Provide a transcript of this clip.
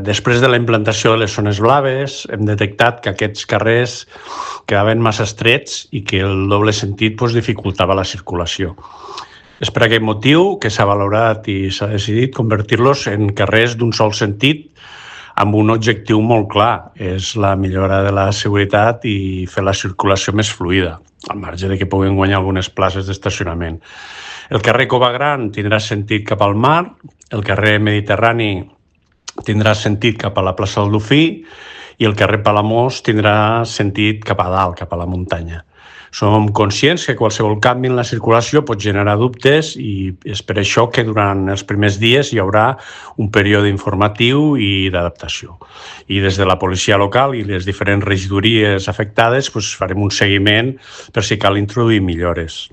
Després de la implantació de les zones blaves, hem detectat que aquests carrers quedaven massa estrets i que el doble sentit dificultava la circulació. És per aquest motiu que s'ha valorat i s'ha decidit convertir-los en carrers d'un sol sentit amb un objectiu molt clar, és la millora de la seguretat i fer la circulació més fluida, al marge de que puguin guanyar algunes places d'estacionament. El carrer Cova Gran tindrà sentit cap al mar, el carrer Mediterrani tindrà sentit cap a la plaça del Dofí i el carrer Palamós tindrà sentit cap a dalt, cap a la muntanya. Som conscients que qualsevol canvi en la circulació pot generar dubtes i és per això que durant els primers dies hi haurà un període informatiu i d'adaptació. I des de la policia local i les diferents regidories afectades farem un seguiment per si cal introduir millores.